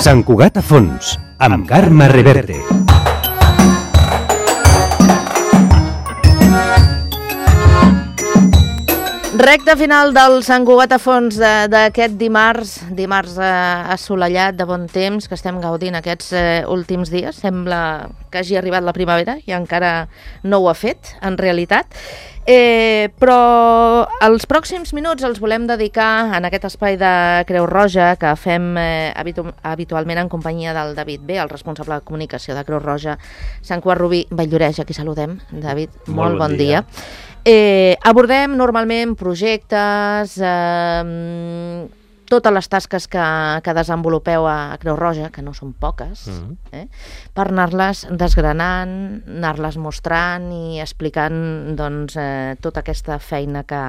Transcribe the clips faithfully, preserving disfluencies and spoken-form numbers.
Sant Cugat a fons, amb Carme Reverte. Recte final del Sant Cugat a fons d'aquest dimarts, dimarts eh, assolellat, de bon temps, que estem gaudint aquests eh, últims dies. Sembla que hagi arribat la primavera i encara no ho ha fet, en realitat. Eh, però els pròxims minuts els volem dedicar en aquest espai de Creu Roja que fem eh, habitu habitualment en companyia del David B, el responsable de comunicació de Creu Roja Sant Cugat Rubí Vall-lloreix. Aquí saludem, David, molt, molt bon, bon dia. dia. Eh, abordem normalment projectes, eh, totes les tasques que, que desenvolupeu a Creu Roja, que no són poques, mm-hmm. eh, per anar-les desgranant, anar-les mostrant i explicant doncs, eh, tota aquesta feina que,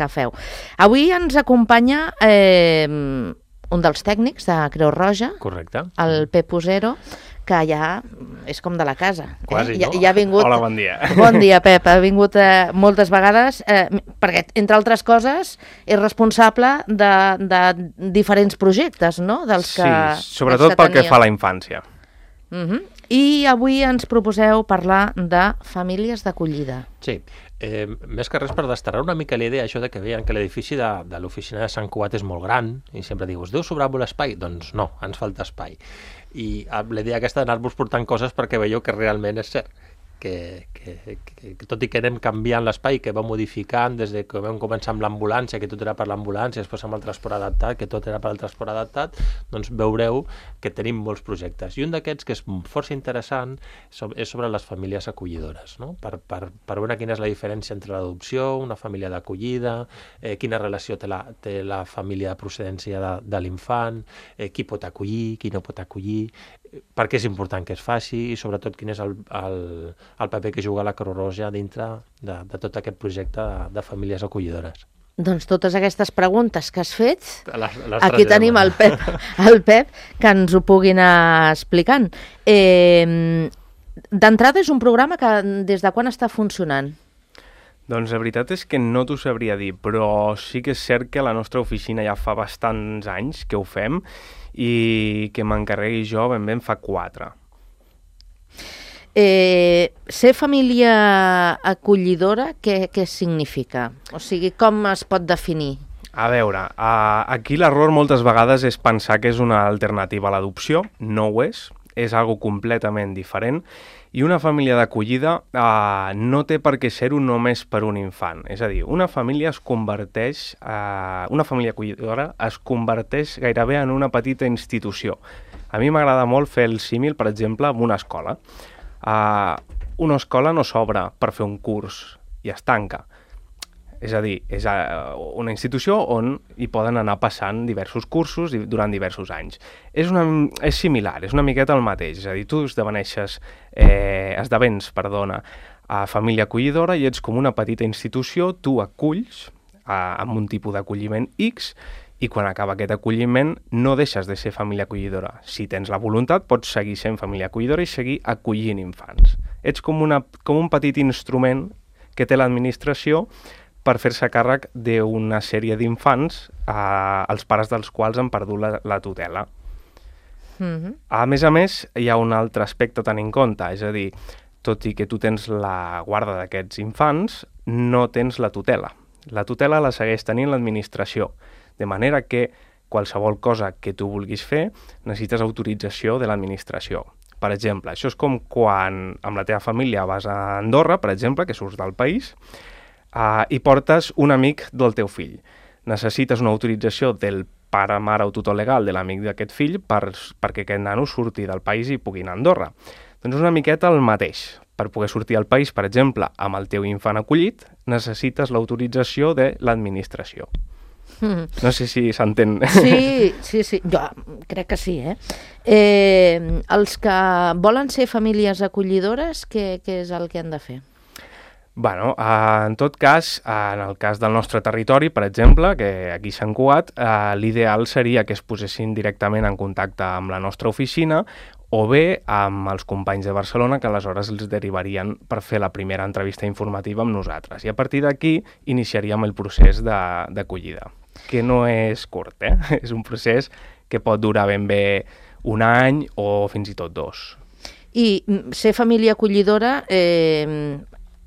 que feu. Avui ens acompanya eh, un dels tècnics de Creu Roja, correcte, el Pep Usero, que ja és com de la casa. Quasi, eh? no? Ja, ja ha vingut... Hola, bon dia. Bon dia, Pep. Ha vingut eh, moltes vegades, eh, perquè, entre altres coses, és responsable de, de diferents projectes, no? Dels que, sí, sobretot pel que fa a la infància. Uh-huh. I avui ens proposeu parlar de famílies d'acollida. Sí, eh, més que res per destarar una mica la idea, això de que veien que l'edifici de, de l'oficina de Sant Cugat és molt gran, i sempre dius, deu sobrar molt espai? Doncs no, ens falta espai. I la idea aquesta d'anar-vos portant coses perquè veieu que realment és cert, que, que, que, que tot i que anem canviant l'espai, que va modificant des de que vam començar amb l'ambulància, que tot era per l'ambulància, després amb el transport adaptat, que tot era per al transport adaptat, doncs veureu que tenim molts projectes. I un d'aquests, que és força interessant, és sobre les famílies acollidores, no? per, per, per veure quina és la diferència entre l'adopció, una família d'acollida, eh, quina relació té la, té la família de procedència de, de l'infant, eh, qui pot acollir, qui no pot acollir, per què és important que es faci i sobretot quin és el, el, el paper que juga la Creu Roja dintre de, de tot aquest projecte de, de famílies acollidores. Doncs totes aquestes preguntes que has fet, les, les aquí tenim el Pep, el Pep que ens ho pugui anar explicant. Eh, D'entrada és un programa que des de quan està funcionant? Doncs la veritat és que no t'ho sabria dir, però sí que és cert que la nostra oficina ja fa bastants anys que ho fem i que m'encarregui jo ben ben fa quatre. Eh, ser família acollidora, què, què significa? O sigui, com es pot definir? A veure, uh, aquí l'error moltes vegades és pensar que és una alternativa a l'adopció, no ho és, és algo completament diferent, i una família d'acollida uh, no té per què ser-ho només per un infant. És a dir, una família es converteix, uh, una família acollidora es converteix gairebé en una petita institució. A mi m'agrada molt fer el símil, per exemple, amb una escola. Uh, una escola no s'obre per fer un curs i es tanca. És a dir, és una institució on hi poden anar passant diversos cursos durant diversos anys. És, una, és similar, és una miqueta el mateix. És a dir, tu esdeveneixes, eh, esdevens perdona, a família acollidora i ets com una petita institució, tu aculls eh, amb un tipus d'acolliment X i quan acaba aquest acolliment no deixes de ser família acollidora. Si tens la voluntat pots seguir sent família acollidora i seguir acollint infants. Ets com, una, com un petit instrument que té l'administració per fer-se càrrec d'una sèrie d'infants eh, els pares dels quals han perdut la, la tutela. Mm-hmm. A més a més, hi ha un altre aspecte a tenir en compte, és a dir, tot i que tu tens la guarda d'aquests infants, no tens la tutela. La tutela la segueix tenint l'administració, de manera que qualsevol cosa que tu vulguis fer necessites autorització de l'administració. Per exemple, això és com quan amb la teva família vas a Andorra, per exemple, que surts del país, Uh, i portes un amic del teu fill. Necessites una autorització del pare, mare o tutor legal de l'amic d'aquest fill per, perquè aquest nano surti del país i pugui anar a Andorra. Doncs una miqueta el mateix. Per poder sortir al país, per exemple, amb el teu infant acollit, necessites l'autorització de l'administració. Mm. No sé si s'entén. Sí, sí, sí. Jo crec que sí, eh? eh? Els que volen ser famílies acollidores, què, què és el que han de fer? Bueno, eh, en tot cas, eh, en el cas del nostre territori, per exemple, que aquí a Sant Cugat, eh, l'ideal seria que es posessin directament en contacte amb la nostra oficina o bé amb els companys de Barcelona que aleshores els derivarien per fer la primera entrevista informativa amb nosaltres. I a partir d'aquí iniciaríem el procés d'acollida, que no és curt, eh? És un procés que pot durar ben bé un any o fins i tot dos. I ser família acollidora, eh,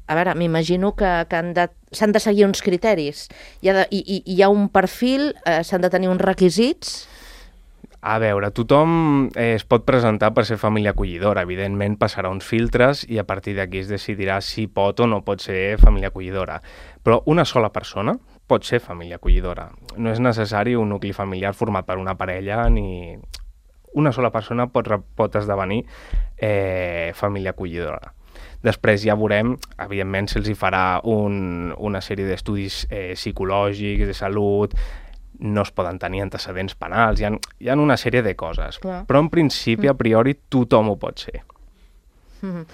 a veure, m'imagino que, que han de, s'han de seguir uns criteris. Hi ha, de, hi, hi ha un perfil, eh, s'han de tenir uns requisits. A veure, tothom eh, es pot presentar per ser família acollidora. Evidentment passarà uns filtres i a partir d'aquí es decidirà si pot o no pot ser família acollidora. Però una sola persona pot ser família acollidora. No és necessari un nucli familiar format per una parella ni... Una sola persona pot, pot esdevenir eh, família acollidora. Després ja veurem, evidentment, si els hi farà un, una sèrie d'estudis eh, psicològics, de salut, no es poden tenir antecedents penals, hi ha, hi ha una sèrie de coses. Clar. Però en principi, a priori, tothom ho pot ser. Mm-hmm.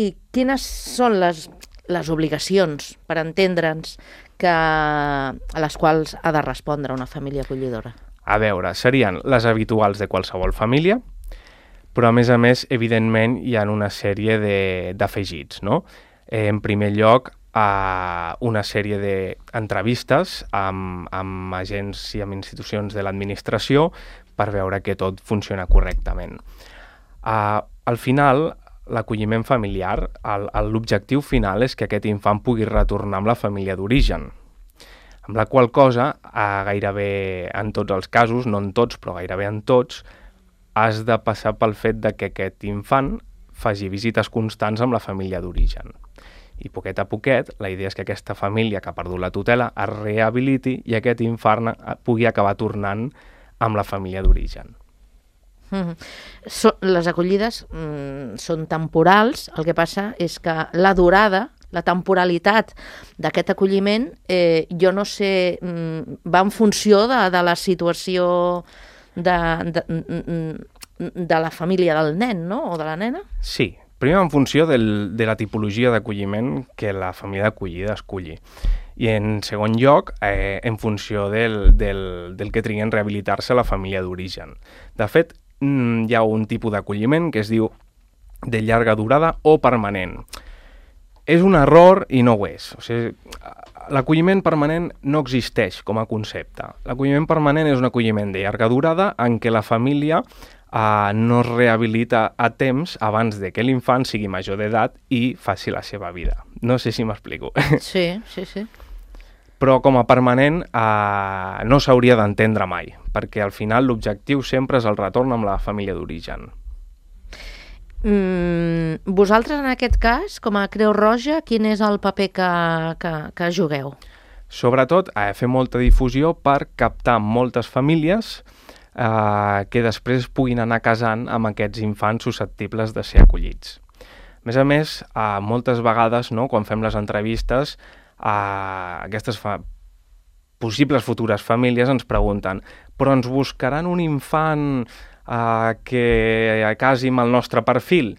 I quines són les, les obligacions, per entendre'ns, que, a les quals ha de respondre una família acollidora? A veure, serien les habituals de qualsevol família, però a més a més, evidentment, hi ha una sèrie d'afegits, no? Eh, en primer lloc, a una sèrie d'entrevistes amb, amb agents i amb institucions de l'administració per veure que tot funciona correctament. Uh, al final, l'acolliment familiar, l'objectiu final és que aquest infant pugui retornar amb la família d'origen, amb la qual cosa, uh, gairebé en tots els casos, no en tots, però gairebé en tots, has de passar pel fet de que aquest infant faci visites constants amb la família d'origen. I poquet a poquet, la idea és que aquesta família que ha perdut la tutela es rehabiliti i aquest infant pugui acabar tornant amb la família d'origen. Mm-hmm. So, les acollides mm, són temporals, el que passa és que la durada, la temporalitat d'aquest acolliment, eh, jo no sé, mm, va en funció de, de la situació de, de, de la família del nen, no?, o de la nena? Sí. Primer en funció del, de la tipologia d'acolliment que la família d'acollida esculli. I en segon lloc, eh, en funció del, del, del que trigui en rehabilitar-se la família d'origen. De fet, hi ha un tipus d'acolliment que es diu de llarga durada o permanent. És un error i no ho és. O sigui, l'acolliment permanent no existeix com a concepte. L'acolliment permanent és un acolliment de llarga durada en què la família Uh, no es rehabilita a temps abans de que l'infant sigui major d'edat i faci la seva vida. No sé si m'explico. Sí, sí, sí. Però com a permanent uh, no s'hauria d'entendre mai, perquè al final l'objectiu sempre és el retorn amb la família d'origen. Mm, vosaltres en aquest cas, com a Creu Roja, quin és el paper que, que, que jugueu? Sobretot, eh, fer molta difusió per captar moltes famílies Uh, que després puguin anar casant amb aquests infants susceptibles de ser acollits. A més a més, uh, moltes vegades, no, quan fem les entrevistes, uh, aquestes fa... possibles futures famílies ens pregunten però ens buscaran un infant uh, que casi amb el nostre perfil?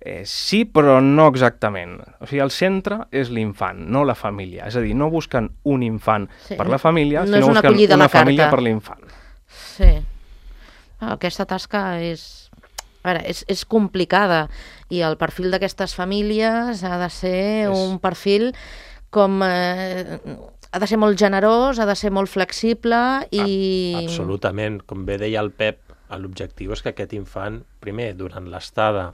Eh, sí, però no exactament. O sigui, el centre és l'infant, no la família. És a dir, no busquen un infant sí, per la família, no sinó una busquen una família per l'infant. Sí. Aquesta tasca és, a veure, és, és complicada i el perfil d'aquestes famílies ha de ser és... un perfil com... Eh, ha de ser molt generós, ha de ser molt flexible i... Absolutament. Com bé deia el Pep, l'objectiu és que aquest infant, primer, durant l'estada,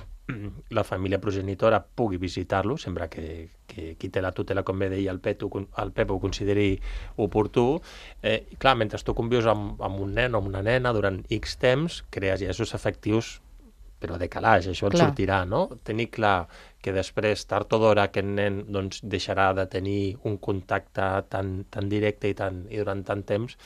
la família progenitora pugui visitar-lo, sempre que, que qui té la tutela, com bé deia el Pep, el Pep ho consideri oportú. Eh, I clar, mentre tu convius amb, amb un nen o una nena durant X temps, crees llaços afectius, però de calaix, això et sortirà, no? Tenir clar que després, tard o d'hora, aquest nen doncs, deixarà de tenir un contacte tan, tan directe i, tan, i durant tant temps,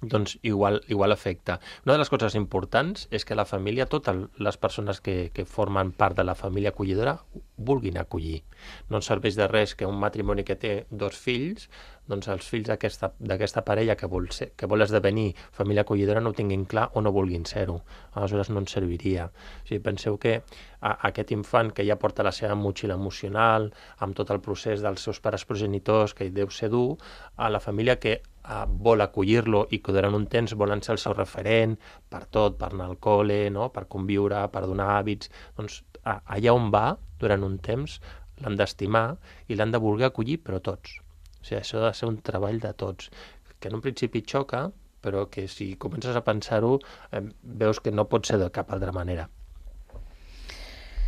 doncs igual, igual afecta. Una de les coses importants és que la família, totes les persones que, que formen part de la família acollidora vulguin acollir. No ens serveix de res que un matrimoni que té dos fills, doncs els fills d'aquesta parella que vol, ser, que vol esdevenir família acollidora no ho tinguin clar o no vulguin ser-ho. Aleshores no ens serviria. O sigui, penseu que a, aquest infant que ja porta la seva motxilla emocional, amb tot el procés dels seus pares progenitors, que deu ser dur, a la família que a, vol acollir-lo i que durant un temps volen ser el seu referent per tot, per anar al col·le, no? Per conviure, per donar hàbits, doncs a, allà on va, durant un temps, l'han d'estimar i l'han de voler acollir, però tots. O sigui, això ha de ser un treball de tots, que en un principi xoca, però que si comences a pensar-ho eh, veus que no pot ser de cap altra manera.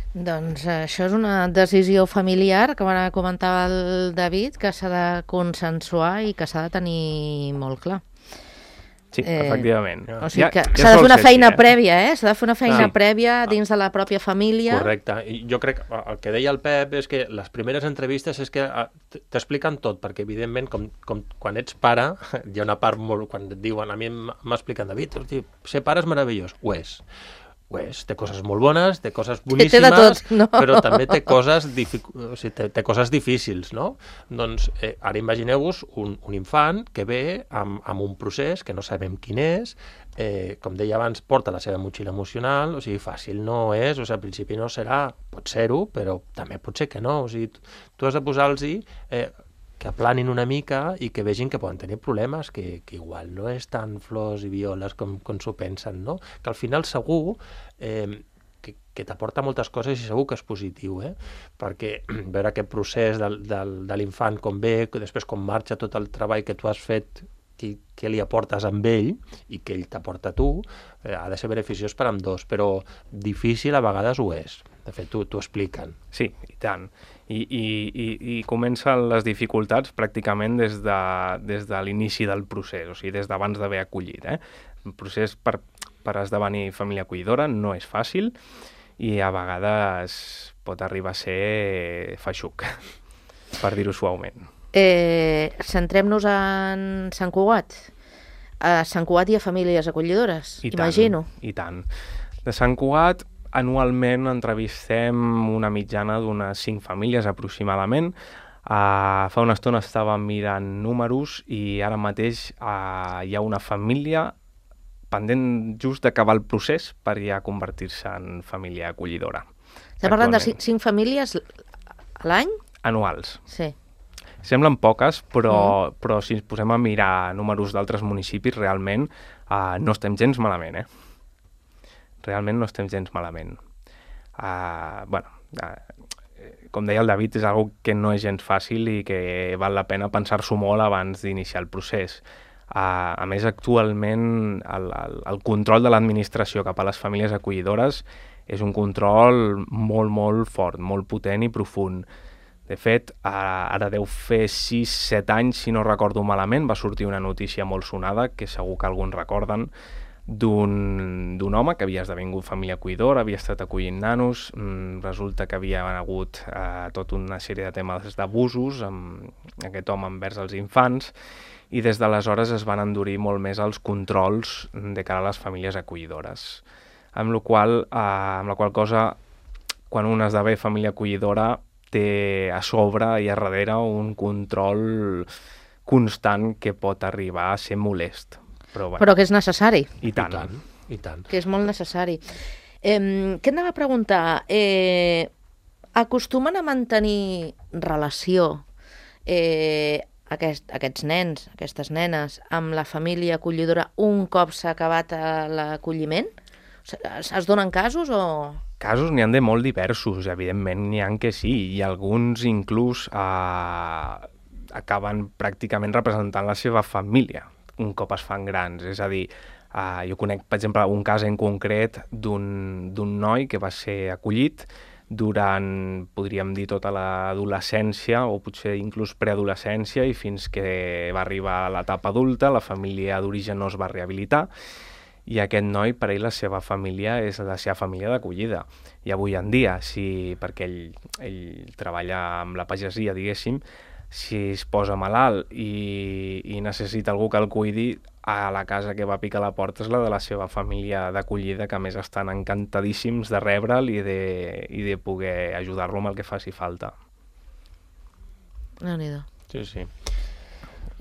Doncs eh, això és una decisió familiar, que ara comentava el David, que s'ha de consensuar i que s'ha de tenir molt clar. Sí, Eh, efectivament. O sigui Ja- que ja s'ha de sol fer una ser feina així, eh? prèvia, eh? S'ha de fer una feina Sí. prèvia dins de la pròpia família. Correcte. I jo crec que el que deia el Pep és que les primeres entrevistes és que eh, t- t'expliquen tot, perquè evidentment com, com quan ets pare hi ha una part molt... Quan et diuen, a mi m- m'expliquen, David, hosti, ser pare és meravellós. Ho és. Ho és. Té coses molt bones, té coses boníssimes, té de tot, no? però també té coses, dific... o sigui, té, té coses difícils, no? Doncs eh, ara imagineu-vos un, un infant que ve amb, amb un procés que no sabem quin és, eh, com deia abans, porta la seva motxilla emocional, o sigui, fàcil no és, o sigui, al principi no serà, pot ser-ho, però també pot ser que no, o sigui, tu, tu has de posar-los eh, que aplanin una mica i que vegin que poden tenir problemes, que, que igual no és tan flors i violes com, com s'ho pensen, no? Que al final segur eh, que, que t'aporta moltes coses i segur que és positiu, eh? Perquè veure aquest procés del, del, de l'infant com ve, que després com marxa tot el treball que tu has fet, que, que li aportes amb ell i que ell t'aporta a tu, eh, ha de ser beneficiós per amb dos, però difícil a vegades ho és. De fet, t'ho expliquen. Sí, i tant. I, i, i, i comencen les dificultats pràcticament des de, des de l'inici del procés, o sigui, des d'abans d'haver acollit. Eh? El procés per, per esdevenir família acollidora no és fàcil i a vegades pot arribar a ser feixuc, per dir-ho suaument. Eh, Centrem-nos en Sant Cugat. A Sant Cugat hi ha famílies acollidores, I imagino. Tant, I tant. De Sant Cugat, anualment entrevistem una mitjana d'unes cinc famílies aproximadament. Uh, fa una estona estàvem mirant números i ara mateix uh, hi ha una família pendent just d'acabar el procés per ja convertir-se en família acollidora. Estem parlant de Actualment. cinc, cinc famílies a l'any? Anuals. Sí. Semblen poques, però, mm. però si ens posem a mirar números d'altres municipis, realment uh, no estem gens malament, eh? Realment no estem gens malament. Uh, bueno, uh, com deia el David, és algo que no és gens fàcil i que val la pena pensar-s'ho molt abans d'iniciar el procés. Uh, a més, actualment, el, el, el control de l'administració cap a les famílies acollidores és un control molt, molt fort, molt potent i profund. De fet, ara deu fer sis set anys, si no recordo malament, va sortir una notícia molt sonada, que segur que alguns recorden, d'un home que havia esdevingut família acollidora, havia estat acollint nanos, mm, resulta que havia hagut eh, tota una sèrie de temes d'abusos amb aquest home envers els infants, i des d'aleshores es van endurir molt més els controls de cara a les famílies acollidores. Amb la qual, eh, amb la qual cosa, quan un esdevé família acollidora, té a sobre i a darrere un control constant que pot arribar a ser molest. Però, bueno, Però que és necessari. I tant. I tant, i tant. Que és molt necessari. Eh, què et anava a preguntar? Eh, acostumen a mantenir relació eh, aquest, aquests nens, aquestes nenes, amb la família acollidora un cop s'ha acabat l'acolliment? Es, es donen casos o...? Casos n'hi ha de molt diversos, evidentment n'hi ha que sí, i alguns inclús eh, acaben pràcticament representant la seva família un cop es fan grans. És a dir, eh, jo conec, per exemple, un cas en concret d'un d'un noi que va ser acollit durant, podríem dir, tota l'adolescència o potser inclús preadolescència i fins que va arribar a l'etapa adulta, la família d'origen no es va rehabilitar i aquest noi, per ell, la seva família és la seva família d'acollida. I avui en dia, si, perquè ell, ell treballa amb la pagesia, diguéssim, si es posa malalt i, i necessita algú que el cuidi, a la casa que va picar la porta és la de la seva família d'acollida, que a més estan encantadíssims de rebre'l i de, i de poder ajudar-lo amb el que faci falta. Déu-n'hi-do. Sí, sí.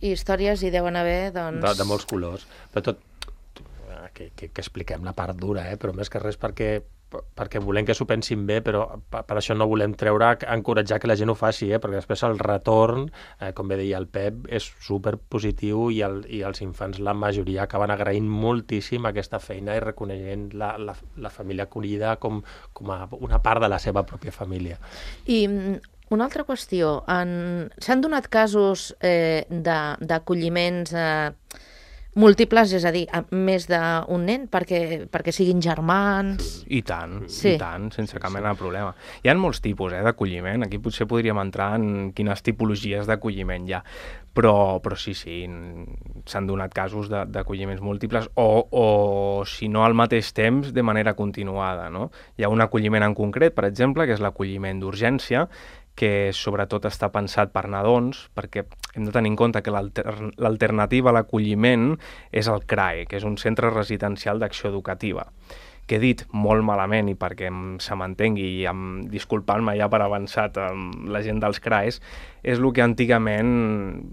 I històries hi deuen haver, doncs... De, de molts colors. Però tot, que, que, que expliquem la part dura, eh? Però més que res perquè, perquè volem que s'ho pensin bé, però per, per això no volem treure, encoratjar que la gent ho faci, eh? Perquè després el retorn, eh, com bé deia el Pep, és superpositiu i, el, i els infants, la majoria, acaben agraint moltíssim aquesta feina i reconeixent la, la, la família acollida com, com a una part de la seva pròpia família. I una altra qüestió, en... s'han donat casos eh, d'acolliments... Eh, múltiples, és a dir, a més d'un nen, perquè, perquè siguin germans... I tant, Sí. i tant, sense cap mena de problema. Hi ha molts tipus eh, d'acolliment, aquí potser podríem entrar en quines tipologies d'acolliment hi ha, però, però sí, sí, n- s'han donat casos de- d'acolliments múltiples o, o, si no al mateix temps, de manera continuada, no? Hi ha un acolliment en concret, per exemple, que és l'acolliment d'urgència, que sobretot està pensat per nadons, perquè hem de tenir en compte que l'alter l'alternativa a l'acolliment és el C R A E, que és un centre residencial d'acció educativa, que he dit molt malament i perquè em, se m'entengui i em, disculpant-me ja per avançat amb la gent dels C R A Es, és el que antigament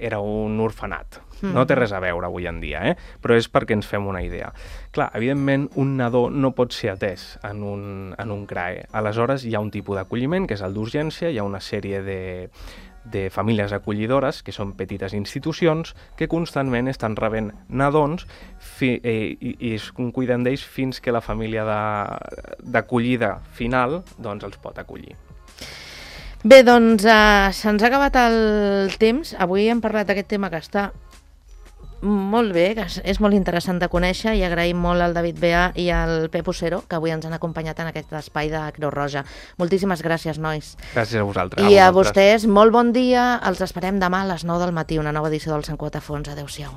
era un orfenat. No té res a veure avui en dia, eh? Però és perquè ens fem una idea. Clar, evidentment, un nadó no pot ser atès en un, en un C R A E. Aleshores, hi ha un tipus d'acolliment, que és el d'urgència, hi ha una sèrie de, de famílies acollidores, que són petites institucions, que constantment estan rebent nadons fi, eh, i, i es cuiden d'ells fins que la família de- d'acollida final doncs, els pot acollir. Bé, doncs uh, se'ns ha acabat el temps. Avui hem parlat d'aquest tema que està molt bé, que és- és molt interessant de conèixer, i agraïm molt al David Bea i al Pep Ocero, que avui ens han acompanyat en aquest espai de Creu Roja. Moltíssimes gràcies, nois. Gràcies a vosaltres. I a vosaltres. vostès, molt bon dia. Els esperem demà a les nou del matí, una nova edició del Sant Cuatafons. Adéu-siau.